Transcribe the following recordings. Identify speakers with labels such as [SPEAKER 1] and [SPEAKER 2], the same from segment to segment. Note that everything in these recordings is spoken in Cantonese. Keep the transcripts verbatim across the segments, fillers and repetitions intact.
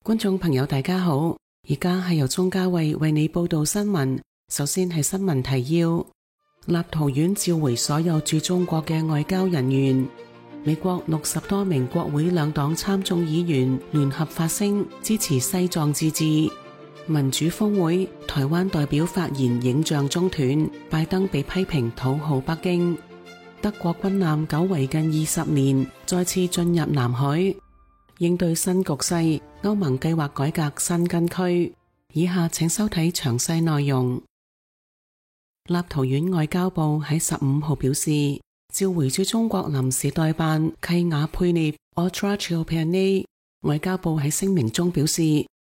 [SPEAKER 1] 觀眾朋友大家好，而家係由鍾嘉慧為你報道新聞。首先係新聞提要：立陶宛召回所有駐中國嘅外交人員。美國六十多名國會兩黨參眾議員聯合發聲支持西藏自治。民主峰會，台灣代表發言影像中斷，拜登被批評討好北京。德國軍艦久違近二十年，再次進入南海。應對新局勢，歐盟計劃改革申根區。以下請收睇詳細內容。立陶宛外交部喺十五號表示，召回駐中國臨時代辦契雅佩涅 Otra Ciobanu。外交部喺聲明中表示，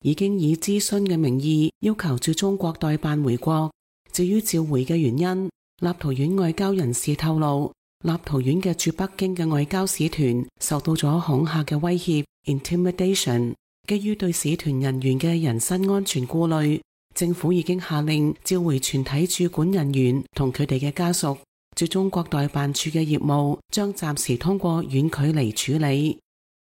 [SPEAKER 1] 已經以諮詢嘅名義要求駐中國代辦回國。至於召回嘅原因，立陶宛外交人士透露，立陶宛嘅駐北京嘅外交使團受到咗恐嚇嘅威脅 intimidation， 基於對使團人員嘅人身安全顧慮，政府已經下令召回全體駐館人員同佢哋嘅家屬。駐中國代辦處嘅業務將暫時通過遠距離處理。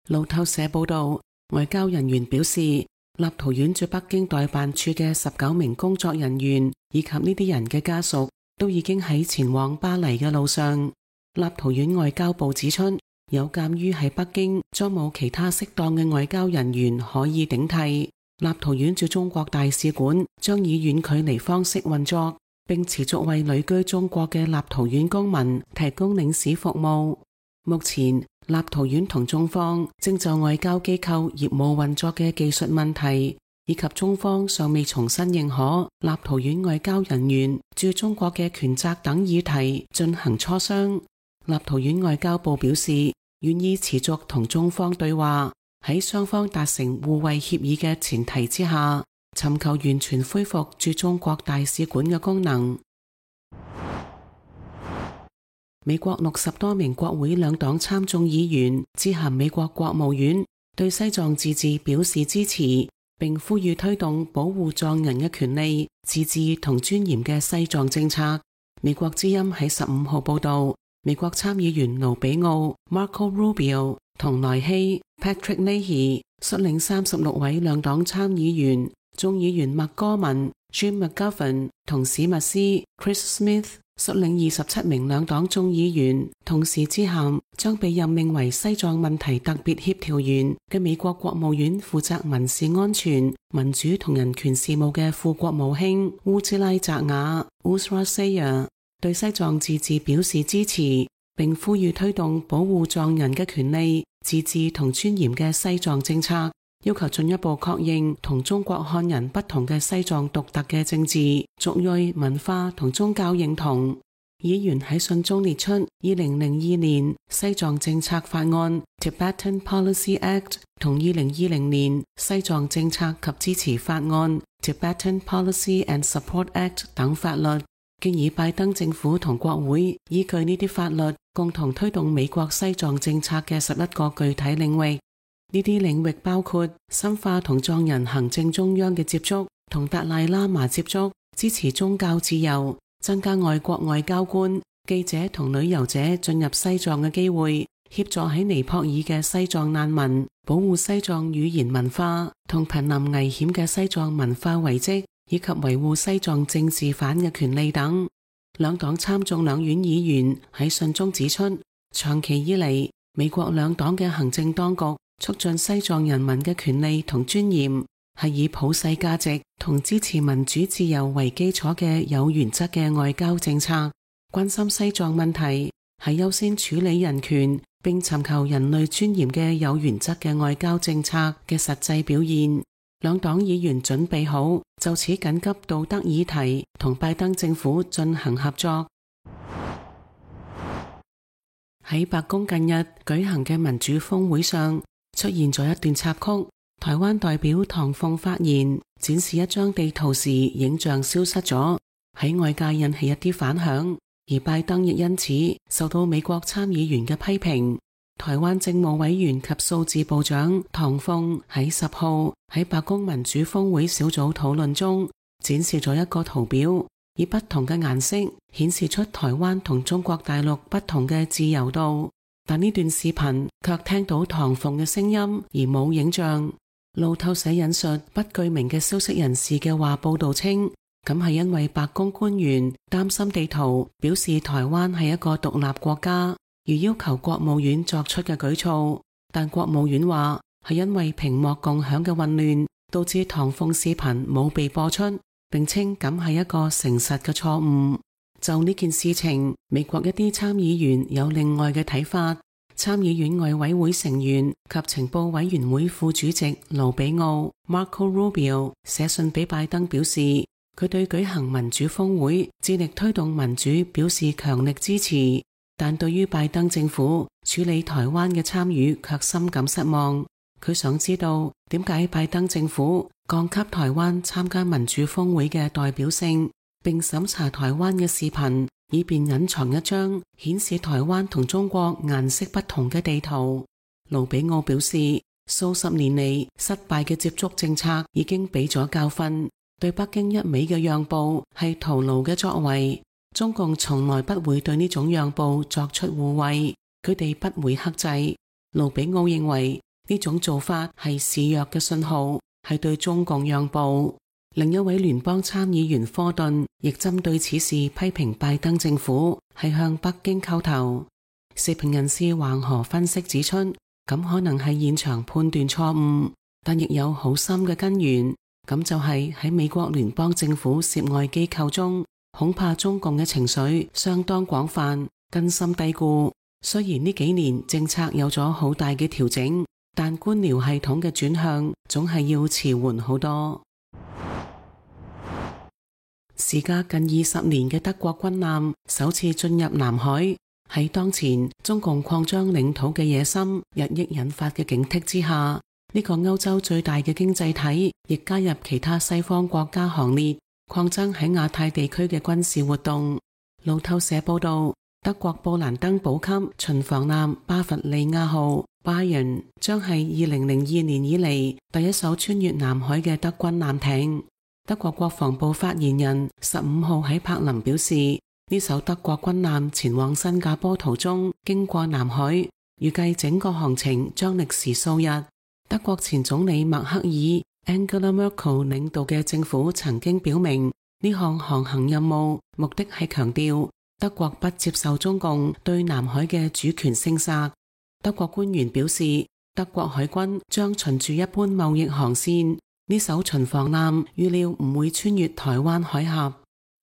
[SPEAKER 1] 路透社報道，外交人員表示，立陶宛駐北京代辦處嘅十九名工作人員以及呢啲人嘅家屬都已經喺前往巴黎嘅路上。立陶宛外交部指出，有鑒於喺北京將冇其他適當嘅外交人員可以頂替，立陶宛駐中國大使館將以遠距離方式運作，並持續為旅居中國嘅立陶宛公民提供領事服務。目前，立陶宛同中方正就外交機構業務運作嘅技術問題，以及中方尚未重新認可立陶宛外交人員駐中國嘅權責等議題進行磋商。立陶宛外交部表示，願意持續同中方對話，喺雙方達成互惠協議嘅前提之下，尋求完全恢復駐中國大使館嘅功能。美國六十多名國會兩黨參眾議員致函美國國務院，對西藏自治表示支持，並呼籲推動保護藏人嘅權利、自治同尊嚴嘅西藏政策。美國之音喺十五號報道，美國參議員盧比奧 Marco Rubio 同萊希 Patrick Leahy 率領三十六位兩黨參議員，眾議員麥戈文 Jim McGovern 同史密斯 Chris Smith 率領二十七名兩黨眾議員，同時致函將被任命為西藏問題特別協調員嘅美國國務院負責民事安全、民主同人權事務嘅副國務卿烏茲拉扎雅 Uzra Zeya，對西藏自治表示支持，並呼籲推動保護藏人嘅權利、自治同尊嚴嘅西藏政策，要求進一步確認同中國漢人不同嘅西藏獨特嘅政治、族裔、文化同宗教認同。議員喺信中列出二零零二年西藏政策法案 Tibetan Policy Act 同二零二零年西藏政策及支持法案 Tibetan Policy and Support Act 等法律，建議拜登政府同國會依據呢啲法律，共同推動美國西藏政策嘅十一個具體領域。呢啲領域包括深化同藏人行政中央嘅接觸，同達賴喇嘛接觸，支持宗教自由，增加外國外交官、記者同旅遊者進入西藏嘅機會，協助喺尼泊爾嘅西藏難民，保護西藏語言文化同瀕臨危險嘅西藏文化遺跡，以及維護西藏政治犯嘅權利等。兩黨參眾兩院議員喺信中指出，長期以嚟，美國兩黨嘅行政當局促進西藏人民嘅權利同尊嚴，係以普世價值同支持民主自由為基礎嘅有原則嘅外交政策。關心西藏問題，係優先處理人權並尋求人類尊嚴嘅有原則嘅外交政策嘅實際表現。兩黨議員準備好就此緊急道德議題同拜登政府進行合作。喺白宮近日舉行嘅民主峰會上，出現咗一段插曲，台灣代表唐鳳發言展示一張地圖時，影像消失咗，喺外界引起一啲反響，而拜登亦因此受到美國參議員嘅批評。台灣政務委員及數字部長唐鳳喺十號喺白宮民主峰會小組討論中展示咗一個圖表，以不同嘅顏色顯示出台灣同中國大陸不同嘅自由度。但呢段視頻卻聽到唐鳳嘅聲音而冇影像。路透社引述不具名嘅消息人士嘅話報道稱，咁係因為白宮官員擔心地圖表示台灣係一個獨立國家，而要求國務院作出嘅舉措。但國務院話係因為屏幕共享嘅混亂，導致唐鳳視頻冇被播出，並稱咁係一個誠實嘅錯誤。就呢件事情，美國一啲參議員有另外嘅睇法。參議院外委會成員及情報委員會副主席盧比奧 Marco Rubio 寫信俾拜登，表示佢對舉行民主峰會、致力推動民主表示強力支持，但對於拜登政府處理台灣嘅參與卻深感失望。佢想知道點解拜登政府降級台灣參加民主峰會嘅代表性，並審查台灣嘅視頻，以便隱藏一張顯示台灣同中國顏色不同嘅地圖。盧比奧表示，數十年嚟失敗嘅接觸政策已經俾咗教訓，對北京一味嘅讓步係徒勞嘅作為。中共從來不會對呢種讓步作出護衛，佢哋不會克制。盧比奧認為呢種做法係示弱嘅信號，係對中共讓步。另一位聯邦參議員科頓亦針對此事批評拜登政府係向北京叩頭。時評人士橫河分析指出，咁可能係現場判斷錯誤，但亦有好深嘅根源，咁就係喺美國聯邦政府涉外機構中，恐怕中共嘅情緒相當廣泛，根深蒂固。雖然呢幾年政策有咗好大嘅調整，但官僚系統嘅轉向總係要遲緩好多。時隔近二十年嘅德國軍艦首次進入南海，喺當前中共擴張領土嘅野心日益引發嘅警惕之下，呢個歐洲最大嘅經濟體亦加入其他西方國家行列，擴增喺亞太地區嘅軍事活動。路透社報道，德國布蘭登堡級巡防艦巴伐利亞號 Bayern 將係二零零二年以嚟第一艘穿越南海嘅德軍艦艇。德國國防部發言人十五號喺柏林表示，呢艘德國軍艦前往新加坡途中經過南海，預計整個航程將歷時數日。德國前總理默克爾 Angela Merkel 領導嘅政府曾經表明，呢項航行任務目的係強調德國不接受中共對南海嘅主權聲索。德國官員表示，德國海軍將循住一般貿易航線，呢艘巡防艦預料唔會穿越台灣海峽。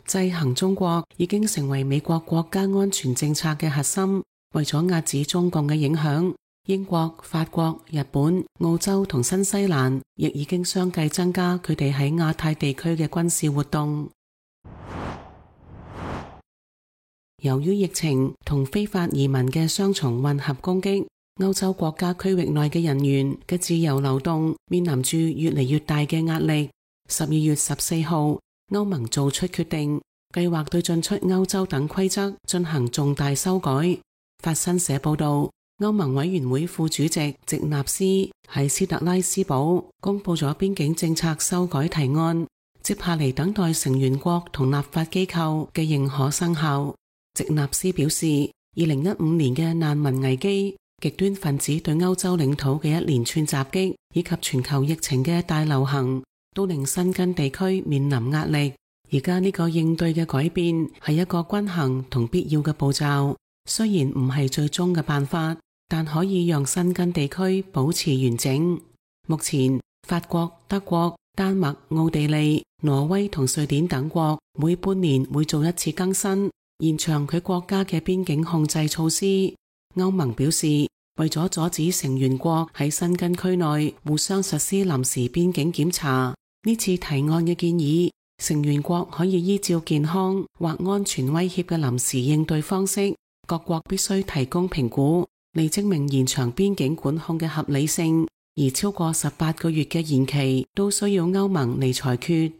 [SPEAKER 1] 制衡中國已經成為美國國家安全政策嘅核心。為咗壓止中共嘅影響，英國、法國、日本、澳洲同新西蘭亦已經相繼增加佢哋喺亞太地區嘅軍事活動。由於疫情同非法移民嘅雙重混合攻擊，歐洲國家區域內嘅人員嘅自由流動面臨住越嚟越大嘅壓力。十二月十四號，歐盟做出決定，計劃對進出歐洲等規則進行重大修改。法新社報道，歐盟委員會副主席席納斯喺斯特拉斯堡公布咗邊境政策修改提案，接下嚟等待成員國同立法機構嘅認可生效。席納斯表示，二零一五年嘅難民危機、極端分子對歐洲領土嘅一連串襲擊，以及全球疫情嘅大流行，都令申根地區面臨壓力。而家呢個應對嘅改變係一個均衡同必要嘅步驟，雖然唔係最終嘅辦法，但可以讓申根地區保持完整。目前，法國、德國、丹麥、奧地利、挪威同瑞典等國每半年會做一次更新，延長佢國家嘅邊境控制措施。歐盟表示，為咗阻止成員國喺申根區內互相實施臨時邊境檢查，呢次提案嘅建議，成員國可以依照健康或安全威脅嘅臨時應對方式，各國必須提供評估，嚟證明延長邊境管控嘅合理性。而超過十八個月嘅延期都需要歐盟嚟裁決。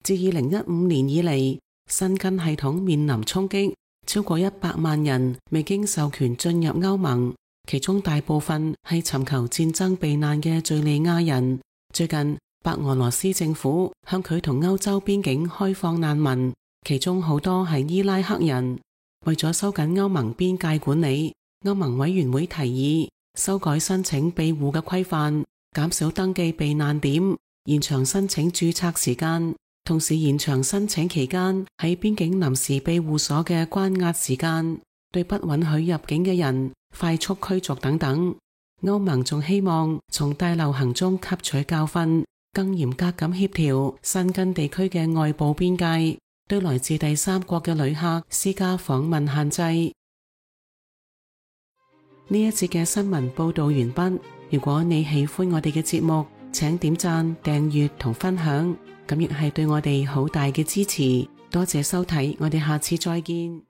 [SPEAKER 1] 自二零一五年以嚟，申根系統面臨衝擊，超過一百萬人未經授權進入歐盟，其中大部分係尋求戰爭避難嘅敘利亞人。最近，白俄羅斯政府向佢同歐洲邊境開放難民，其中好多係伊拉克人。為咗收緊歐盟邊界管理，歐盟委員會提議修改申請庇護嘅規範，減少登記避難點，延長申請註冊時間，同時延長申請期間喺邊境臨時庇護所嘅關押時間，對不允許入境嘅人快速驅逐等等。歐盟仲希望從大流行中吸取教訓，更嚴格咁協調申根地區嘅外部邊界，對來自第三國嘅旅客施加訪問限制。呢一節嘅新聞報道完畢。如果你喜歡我哋嘅節目，請點讚、訂閱同分享，咁亦係對我哋好大嘅支持。多謝收睇，我哋下次再見。